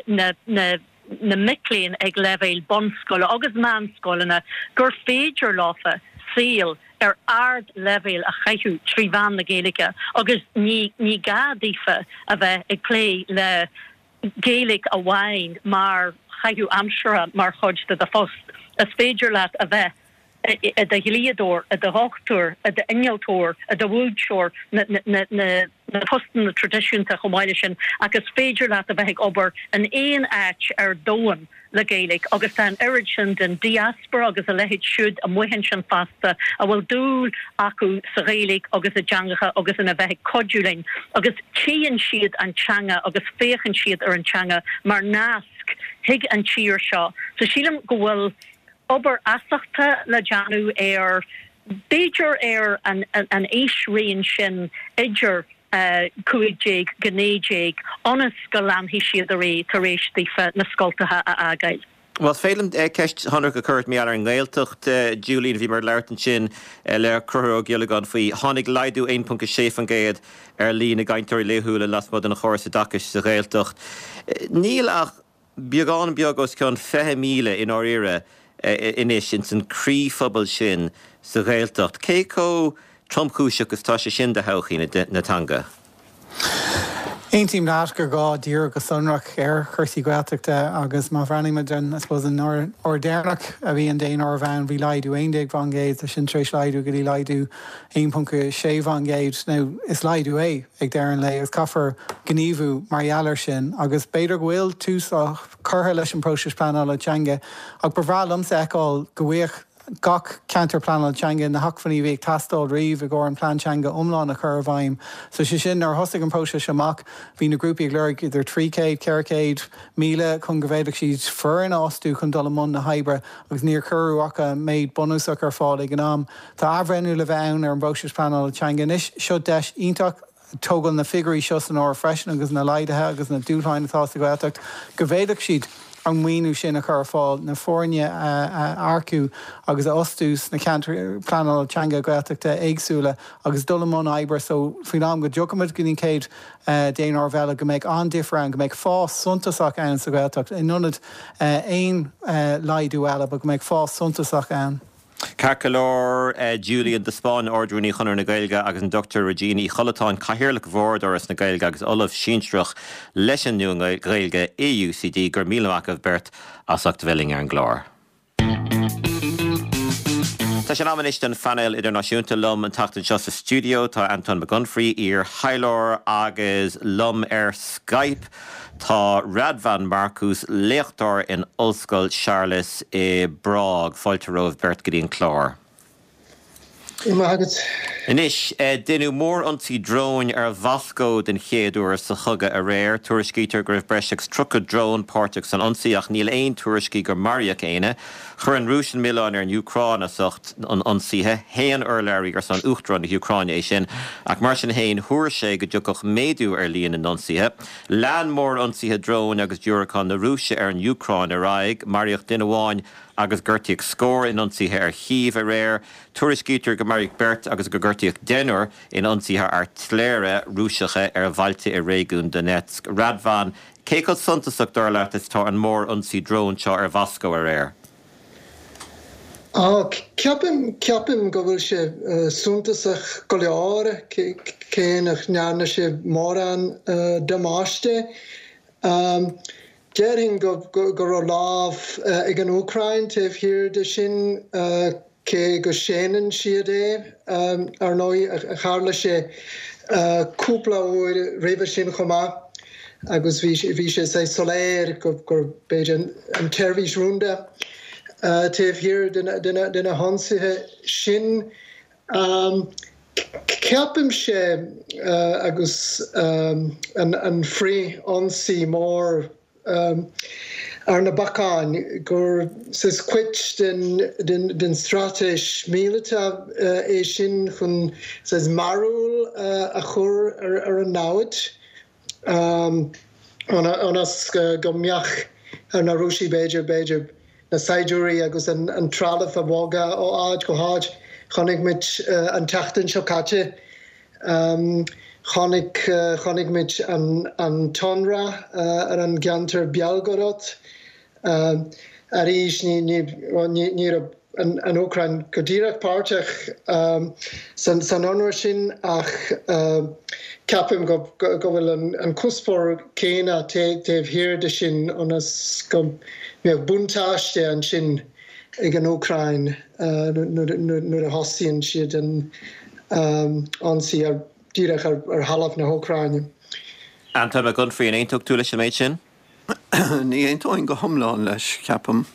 na na na mic léinn ag leibhéal bunscoile agus meánscoileanna gur féidir leofa saol ar ardleibhéal a chaitheamh trí mheán na Gaeilge agus ní ní gá daofa a bheith ag plé le Gaeilge amháin mar chaitheamh aimsire mar chuid de do phost. Is féidir leat a bheith i do dhlíodóir, i do dhochtúir, i d'innealtóir, i do mhúinteoir, na na na na postanna traidisiúnta chomh maith leis sin ach is féidir leat a bheith ag obair in aon áit ar domhan le Gaeilge agus tá an oiread sin den diaspora agus a leithéid siúd amuigh ansin fosta a bhfuil dúil acu sa Ghaeilge agus i dteangacha agus ina bheith ag cuidiú linn agus tchíonn siad an teanga agus féachann siad ar an teanga mar nasc chuig an tír seo. So sílim go bhfuil obair fheasachta le déanamh ar b'fhéidir ar an an aoisraon sin idir cúig déag go naoi déag ionas go leanfaidh siad ar aghaidh tar éis daofa na scoltacha a fhágáil. Bhuel, is féidir liom ceist shonrach a chur ort mar gheall ar an nGaeltacht, Julian, bhíomar ag labhairt ansin le Conchúr Ó Giollagáin faoi. Tháinig laghdú aon ponc a sé faoin gcéad ar líon na gcainteoirí laethúla lasmuigh den chóras oideachais sa Ghaeltacht. Níl ach beagán beag os cionn fiche míle i ndáiríre anois ins an croíphobal sin sa Ghaeltacht. Cé chomh tromchúiseach is tá sé sin do thodhchaí na teanga? Aontaím leat gur gá díriú go sonrach ar chúrsaí Gaeltachta agus má bhreathnaímid an, I suppose, an uair deireanach a bhí an daonáireamh ann, bhí laghdú aon déag faoin gcéad, tá sin tar éis laghdú go dtí laghdú aon ponc sé faoin gcéad. Now, is laghdú é ag deireadh an lae agus caithfear gníomhú mar gheall air sin agus b'fhéidir go bhfuil tús á curtha leis an bpróiseas pleanála teanga ach ba bhreá liomsa a fheiceáil go bhfaigheadh gach ceantar pleanála teanga na hacmhainní a bhí ag teastáil riamh i gcomhair an plean teanga iomlán a chur i bhfeidhm. So sé sin, nuair a thosaigh an próiseas amach, bhí na grúpaí ag lorg idir trí chéad, ceithre chéad míle chun go bhféadfadh siad foireann a fhostú chun dul i mbun na hoibre agus níor cuireadh ach an méid bunúsach ar fáil ag an am. Tá athbhreithniú le bheith ann ar an bpróiseas pleanála teanga anois. Seo deis iontach tógáil na figiúirí seo san áireamh freisin agus na laghduithe agus na dúshláin atá sa Ghaeltacht, go bhféadfadh siad an maoiniú sin a chur ar fáil, na foirne a earcú agus a fhostú sna ceantair pleanála teanga Gaeltachta éagsúla agus dul i mbun oibre so faoin am go dtiocfaimid go dtí an chéad daonáireamh eile go mbeidh an-difear ann, go mbeidh fás suntasach ann sa Ghaeltacht in ionad aon laghdú eile, but go mbeidh fás suntasach ann. Ceart go leor, Julian de Spáinn, Ard-Rúnaí Chonradh na Gaeilge agus an Dochtúir Regina Uí Chollatáin, Cathaoirleach Bhord Fhoras na Gaeilge agus Ollamh Sinsearach leis an Nua-Ghaeilge i U C D. Go raibh míle maith agaibh beirt as ucht a bheith linn ar an gclár. Tá sé in am anois don phainéal idirnáisiúnta. Liom an tseachtain seo sa stiúideo tá Antóin Mac Unfraidh, iar-thaidhleoir, agus liom ar Skype tá Radvan Markus, léachtóir in Ollscoil Séarlas i bPrág. Fáilte romhaibh beirt go dtí an clár. Maith. Anois, deineadh mórionsaí dróin ar Mhoscó den chéad uair sa chogadh aréir. Tuairiscítear go raibh breis agus tríocha drón páirteach san ionsaí ach níl aon tuairiscí gur maraíodh éinne. Chuir an Rúis an milleán ar an Úcráin as ucht an ionsaithe. Shéan urlabhraí ar son Uachtarán na hÚcráine é sin, ach mar sin féin thuar sé go dtiocfadh méadú ar líon na n-ionsaithe. Lean mórionsaithe dróin agus diúracán na Rúise ar an Úcráin ar aghaidh. Maraíodh duine amháin agus gortaíodh scór in ionsaithe ar Chív aréir. Tuairiscítear go maraíodh beirt agus go gortaíodh deichniúr in ionsaithe airtléire Rúiseacha ar bhailte i réigiún Donetsk. Radvan, cé chomh suntasach dar leat is atá an mórionsaí drón seo ar Mhoscó aréir? Á, ceapaim, ceapaim go bhfuil sé suntasach go leor, cé nach ndearna sé mórán damáiste. Déarfainn go raibh lámh ag an Úcráin taobh thiar de sin, cé go séanann siad é. Ar ndóigh, tharla sé cúpla uair roimhe sin chomh maith agus bhí sé soiléir gur b'fhéidir an tseirbhís rúnda taobh thiar de na hionsaithe sin. Ceapaimse agus an frith-ionsaí mór ar na bacáin gur saghas cuid den straitéis míleata é sin chun saghas mearbhall a chur ar an namhaid. ionas go mbeadh ar na Rúisigh b'fhéidir, b'fhéidir, na saighdiúirí agus an trealamh a bhogadh ó áit go háit. Chonaic muid an tseachtain seo caite, chonaic, chonaic muid an t-ionradh ar an gceantar Belgorod. Arís, ní, ní, ní raibh an Úcráin go díreach páirteach san ionradh sin ach ceapaim go bhfuil an cuspóir céanna taobh thiar de sin ionas go mbeadh buntáiste ansin ag an Úcráin nuair a thosaíonn siad an ionsaí díreach ar thalamh na hÚcráine. Antóin Mac Unfraidh, an aontódh tú leis an méid sin? Ní aontóinn go hiomlán leis, ceapaim.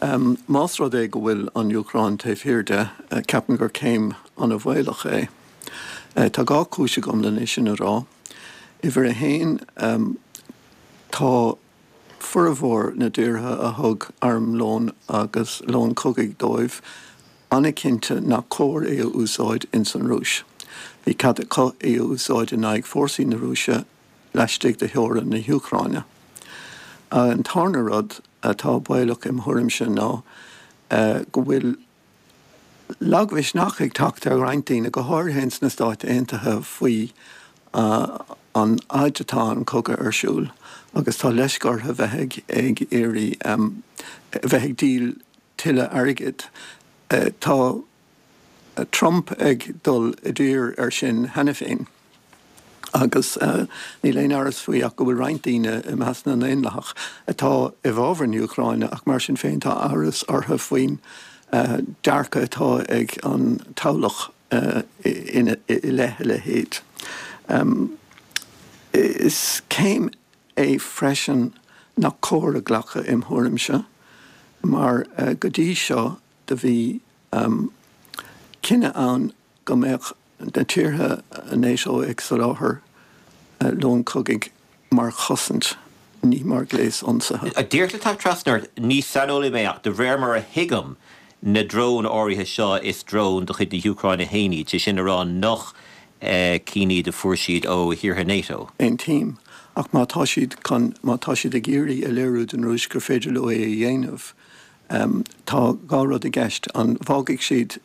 Más rud é go bhfuil an Úcráin taobh thiar de, ceapaim gur céim an-bhaolach é. Tá dhá chúis agam lena sin a rá. Uimhir a haon, tá formhór na dtíortha a thug armlón agus lón cogaidh dóibh an-chinnte nach cóir é a úsáid ins an Rúis. Bhí cead acu é a úsáid in aghaidh fórsaí na Rúise laistigh de theorainn na hÚcráine. An tarna rud atá baolach im thuairimse ná go bhfuil lagmhisneach ag teacht ar roinnt daoine, go háirithe ins na Stáit Aontaithe, faoi an fhaid atá an cogadh ar siúl agus tá leisce orthu bheith ag iarraidh bheith ag díol tuilleadh airgid. Tá Trump ag dul i dtír air sin cheana féin agus níl aon amhras faoi ach go bhfuil roinnt daoine i measc na nDaonlathach atá i bhfabhar na hÚcráine ach mar sin féin tá amhras orthu faoin dearcadh atá ag an toghlach i leith a leithéid. Is céim é freisin nach cóir a ghlacadh im thuairimse mar go dtí seo do bhí cinneadh ann go mbeadh na tíortha NATO ag soláthar lón cogaidh mar chosaint, ní mar ghléas ionsaithe. Díreach le teacht trasna ort, ní saineolaí mé ach de réir mar a thuigim na dróin áirithe seo is dróin de chuid na hÚcráine féin iad, sé sin a rá nach cinn iad a fuair siad ó thíortha NATO. Aontaím. Ach má tá siad chun, má tá siad ag iarraidh a léiriú don Rúis gur féidir leo é a dhéanamh, Tá dhá rud i gceist, an bhfágfaidh siad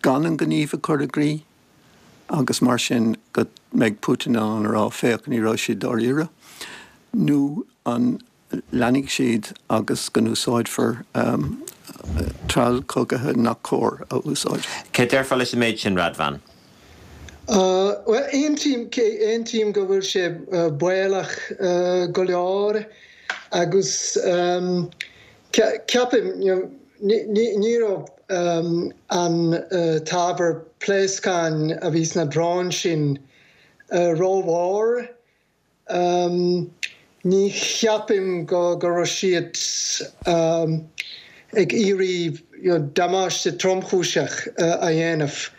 gan an gníomh a chur i gcrích agus mar sin go mbeidh Putin in ann a rá féach, ní raibh siad dáiríre, nó an leanfaidh siad agus go n-úsáidfear trealamh cogaithe nach cóir a úsáid. Céard a déarfá leis an méid sin, Radvan? Bhuel, aontaím, aontaím go bhfuil sé baolach go leor agus ceapaim, ní raibh an t-ábhar pléascáin a bhí sna dróin sin rómhór. Ní cheapaim go raibh siad ag iarraidh damáiste tromchúiseach a dhéanamh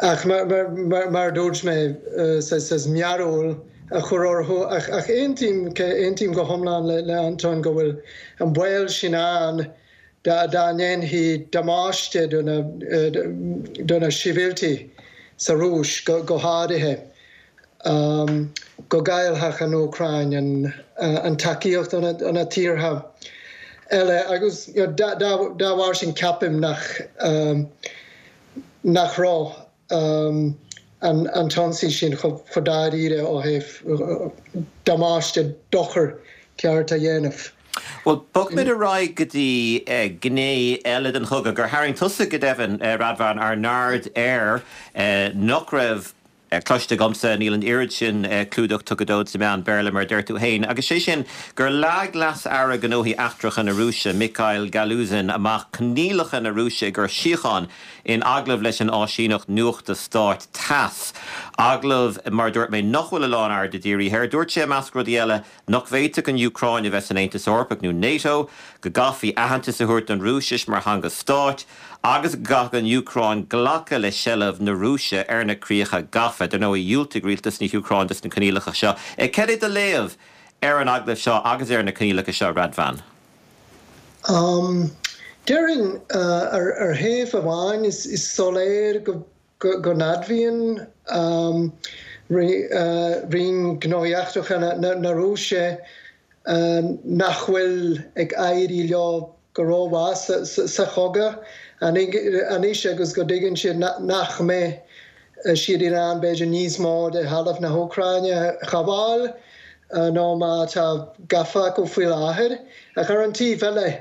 ach mar a dúirt mé, saghas mearbhall a chur orthu. Ach aontaím, aontaím go hiomlán le Antóin go bhfuil an baol sin ann dá ndéanfaí damáiste do na sibhialtaigh sa Rúis go háirithe, go gcaillfeadh an Úcráin an tacaíocht ó na tíortha eile agus dá bharr sin ceapaim nach raibh an t-ionsaí sin chomh dáiríre ó thaobh damáiste, dochar ceart a dhéanamh. Bhuel, bogfaimid ar aghaidh go dtí gné eile den chogadh gur tharraing tusa, go deimhin, Radvan, ár n-aird air, nach raibh cloiste agamsa, níl an oiread sin clúdach tugtha dó sna meáin Béarla, mar a deir tú féin, agus sé sin gur leag Leas-Aire Gnóthaí Eachtracha na Rúise, Mikhail Galuzin, amach coinníollacha na Rúise i gcomhair síocháin in agallamh leis an áisíneacht nuachta stáit Tass. Agallamh, mar a dúirt mé, nach bhfuil a lán airde dírithe air. Dúirt sé, i measc rudaí eile, nach bhféadfadh an Úcráin a bheith san Aontas Eorpach nó NATO, go gcaithfí aitheantas a thabhairt don Rúisis mar theanga stáit, agus go gcaithfeadh an Úcráin glacadh le seilbh na Rúise ar na críocha gafa. Dar ndóigh, dhiúltaigh rialtas na hÚcráine dos na coinníollacha seo. Cad é do léamh ar an agallamh seo agus ar na coinníollacha seo, Radvan? Déarfainn, ar thaobh amháin, is soiléir go go n-admhaíonn Roinn Gnóthaí Eachtracha na Rúise nach bhfuil ag éirí leo go rómhaith sa chogadh anois agus go dtuigeann siad nach mbeidh siad in ann b'fhéidir níos mó de thalamh na hÚcráine a ghabháil ná mar atá gafa acu faoi láthair. Ach ar an taobh eile,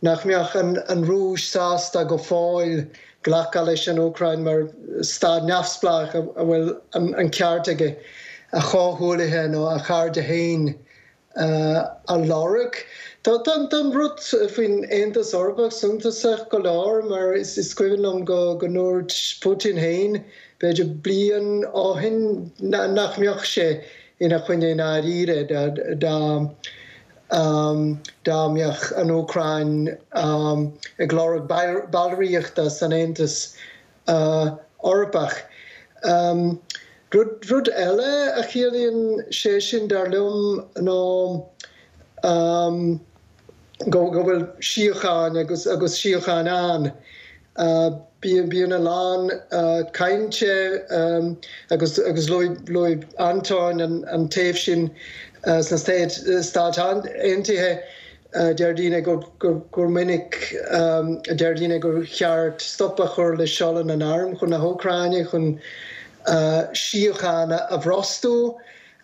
nach mbeadh an Rúis sásta go fóill glacadh leis an Úcráin mar stát neamhspleách a bhfuil an ceart aige a chomhghuaillithe nó a chairde féin a lorg. Tá an rud faoin Aontas Eorpach suntasach go leor mar is cuimhin liom go ndúirt Putin féin b'fhéidir bliain ó shin nach mbeadh sé ina choinne i ndáiríre dá dá mbeadh an Úcráin ag lorg ballraíochta san Aontas Eorpach. Rud eile a chiallaíonn sé sin, dar liom, ná go bhfuil síocháin agus agus síocháin ann. Bíonn a lán cainte agus agus luaigh Antóin an taobh sin sna Stáit Aontaithe. Deir daoine gur minic a deir daoine gur cheart stop a chur le seoladh na n-arm chun na hÚcráine chun síocháin a bhrostú.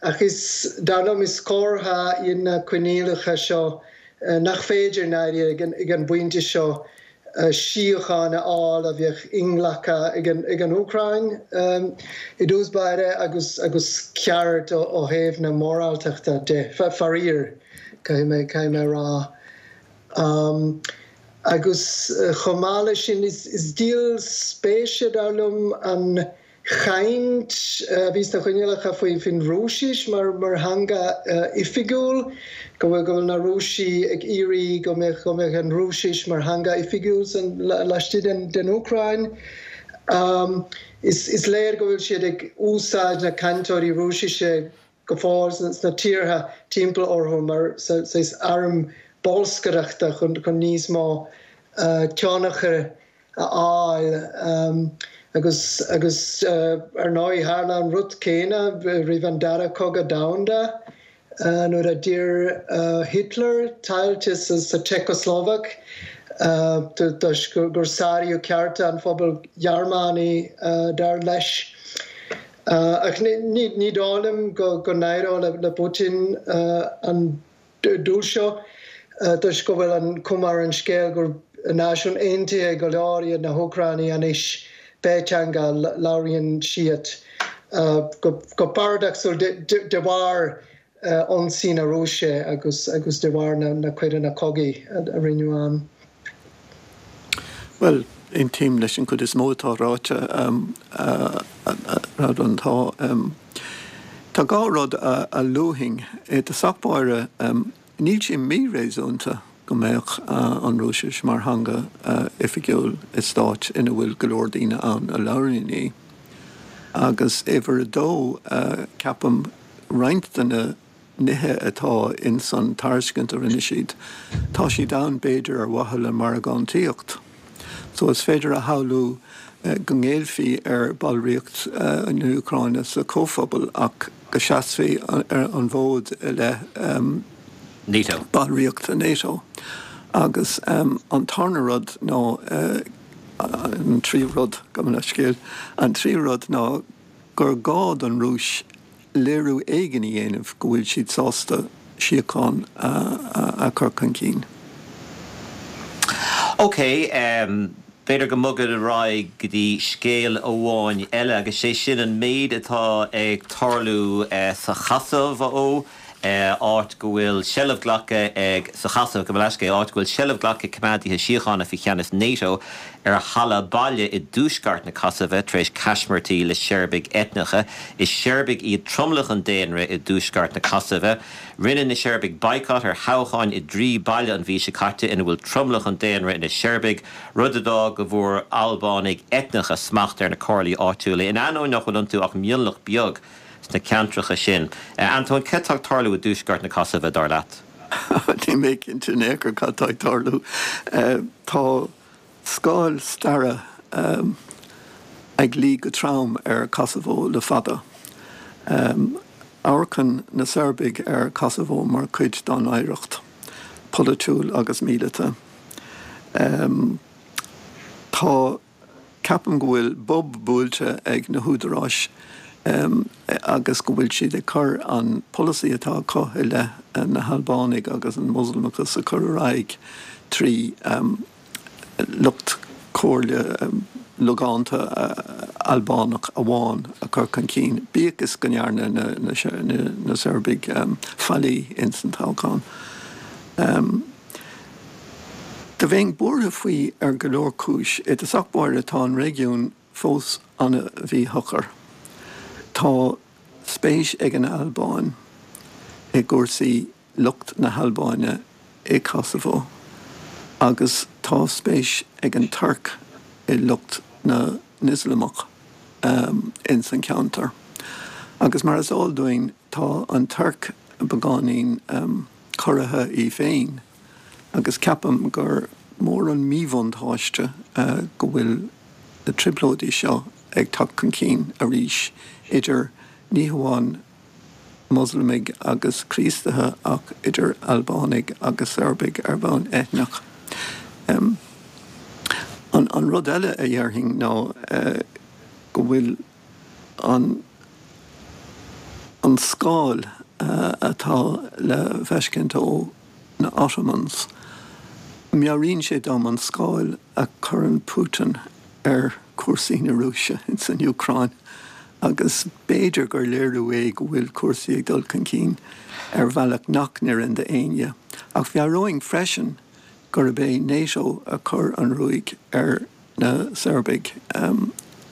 Ach is, dar liom, is comhartha iad na coinníollacha seo nach féidir i ndáiríre ag an bpointe seo síocháin a fháil a bheadh inghlactha ag an Úcráin i dtús báire agus agus ceart ó thaobh na moráltachta de, faraor, caithfidh mé a rá. Agus chomh maith leis sin, is díol spéise, dar liom, an chaint a bhí sna coinníollacha faoin Rúisis mar theanga oifigiúil, go bhfuil na Rúisigh ag iarraidh go mbeadh go mbeadh an Rúisis mar theanga oifigiúil laistigh den Úcráin. Is léir go bhfuil siad ag úsáid na cainteoirí Rúisise go fóill sna tíortha timpeall orthu mar saghas arm bolscaireachta chun níos mó tionchair a fháil agus agus ar ndóigh tharla an rud céanna roimh an Dara Cogadh Domhanda nuair a d'iarr Hitler tailte sa tSeiceaslóvaic toisc gur sáraíodh cearta an phobail Ghearmánaigh dar leis. Ach ní dóigh liom go n-éireoidh le Putin an dul seo toisc go bhfuil an chuma ar an scéal gur náisiún aontaithe go leor iad na hÚcránaigh anois, pé teanga a labhraíonn siad. Go paradacsúil de bharr ionsaí na Rúise agus agus de bharr na coireanna cogaidh a rinneadh ann. Bhuel, aontaím leis an gcuid is mó atá ráite, a Radvan. Tá tá dhá rud a luafainn. I dtosach báire, Níl sé míréasúnta go mbeadh an Rúisis mar theanga oifigiúil i stát ina bhfuil go leor daoine ann a labhraíonn í. Agus uimhir a dó, ceapaim, roinnt de na nithe atá ins an tairiscint a rinne siad, tá siad ann b'fhéidir ar mhaithe le margántaíocht. So is féidir a shamhlú go ngéillfí ar bhallraíocht na hÚcráine sa Chomhphobal ach go seasfaí ar an bhfód i leith NATO. ballraíocht NATO. Agus an tarna rud ná, an tríú rud, gabh mo leithscéal, an tríú rud ná gur gá don Rúis léiriú éigin a dhéanamh go bhfuil siad sásta síocháin a chur chun cinn. Ok, b'fhéidir go mbogfad ar aghaidh go dtí scéal amháin eile agus sé sin an méid atá ag tarlú sa Chosaiv, áit go bhfuil seilbh glactha ag, sa Chosaiv, gabh mo leithscéal, áit go bhfuil seilbh glactha ag coimeádaithe síochána faoi cheannas NATO ar halla baile i dtuaisceart na Cosaive tar éis caismirtí le Seirbiaigh eitneacha. Is Seirbiaigh iad tromlach an daonra i dtuaisceart na Cosaive. Rinne na Seirbiaigh baghcat ar thoghcháin i dtrí baile an mhí seo caite ina bhfuil tromlach an daonra ina Seirbiaigh, rud a d'fhág go bhfuair Albánaigh eitneacha smacht ar na comhairlí áitiúla, in ainneoin nach bhfuil iontu ach mionlach beag. sna ceantracha sin. Antóin, cad tá ag tarlú i dtuaisceart na Cosaive, dar leat? Níl mé cinnte in aon chor cad tá ag tarlú. Tá scáil staire ag luí go trom ar Kosovo le fada. Amharcann na Seirbiaigh ar Kosovo mar chuid dá n-oidhreacht polaitiúil agus míleata. Tá, ceapaim go bhfuil bob buailte ag na húdaráis agus go bhfuil siad ag cur an polasaí atá acu i leith na hAlbánaigh agus an Moslamachas a chur ar aghaidh trí lucht comhairle logánta Albánach amháin a chur chun cinn, bíodh is go ndearna na Seirbiaigh faillí ins an toghchán. Do bheinn buartha faoi ar go leor cúis. I dtosach báire tá an réigiún fós an-mhíshocair. Tá spéis ag an Albáin i gcúrsaí lucht na hAlbáine i Kosovo agus tá spéis ag an Tuirc i lucht na nIoslamach ins an cheantar. Agus mar is eol dúinn tá an Tuirc beagáinín corraithe í féin agus ceapaim gur mór an míbhuntáiste go bhfuil na trioblóidí seo ag teacht chun cinn arís idir ní hamháin Moslamaigh agus Críostaithe ach idir Albánaigh agus Seirbiaigh ar bhonn eitneach. An rud eile a dhéarfainn ná go bhfuil an an scáil atá le feiscint ó na Ottomans, meabhraíonn sé dom an scáil a chuireann Putin ar chúrsaí na Rúise ins an Úcráin agus b'fhéidir gur léiriú é go bhfuil cúrsaí ag dul chun cinn ar bhealach nach n-oireann d'éinne. Ach mheabhróinn freisin gurb é NATO a chuir an ruaig ar na Seirbiaigh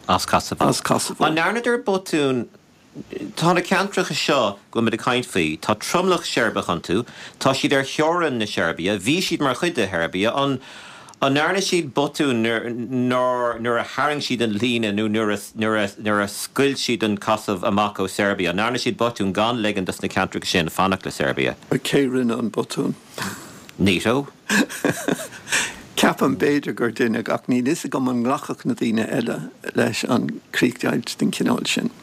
as Kosovo. As Kosovo. An ndearnadar botún Tá na ceantracha seo go bhfuil muid ag caint faoi, tá tromlach Seirbiach iontu, tá siad ar theorainn na Seirbia, bhí siad mar chuid de Sheirbia, an an ndearna siad botún nuair nuair a tharraing siad an líne nó nuair a nuair a nuair a scoilt siad an Chosaiv amach ó Serbia, an ndearna siad botún gan ligean dos na ceantracha sin fanacht le Serbia? Cé rinne an botún? NATO? Ceapaim b'fhéidir gur deineadh ach níl fhios agam an nglacfadh na daoine eile leis an críochdheighilt den chineál sin.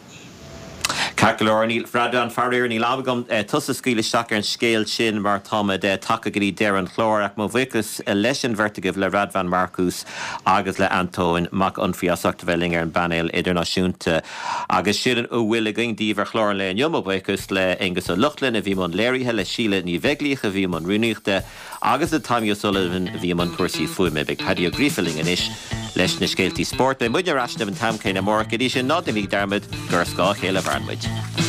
Ceart go leor, níl, Radvan, faraor, níl am agam tusa a scaoileadh isteach ar an scéal sin mar táimid tagtha go dtí deireadh an chláir ach mo bhuíochas leis an bheirt agaibh, le Radvan Markus agus le Antóin Mac Unfraidh as ucht a bheith linn ar an bpainéal idirnáisiúnta. Agus sin a bhfuil againn daoibh ar chlár an lae inniu. Mo bhuíochas le Aonghus Ó Lochlainn a bhí i mbun léirithe, le Síle Ní Bheaglaoich a bhí i mbun rúnaíochta agus le Tommy O'Sullivan a bhí i mbun cúrsaí fuaime. Beidh Paddy Ó Gríofa linn anois leis na scéaltaí spóirt. Beidh muidne ar ais libh an t-am céanna amárach. Go dtí sin, ná déanaigí dearmad gur ar scáth a chéile a mhaireann muid.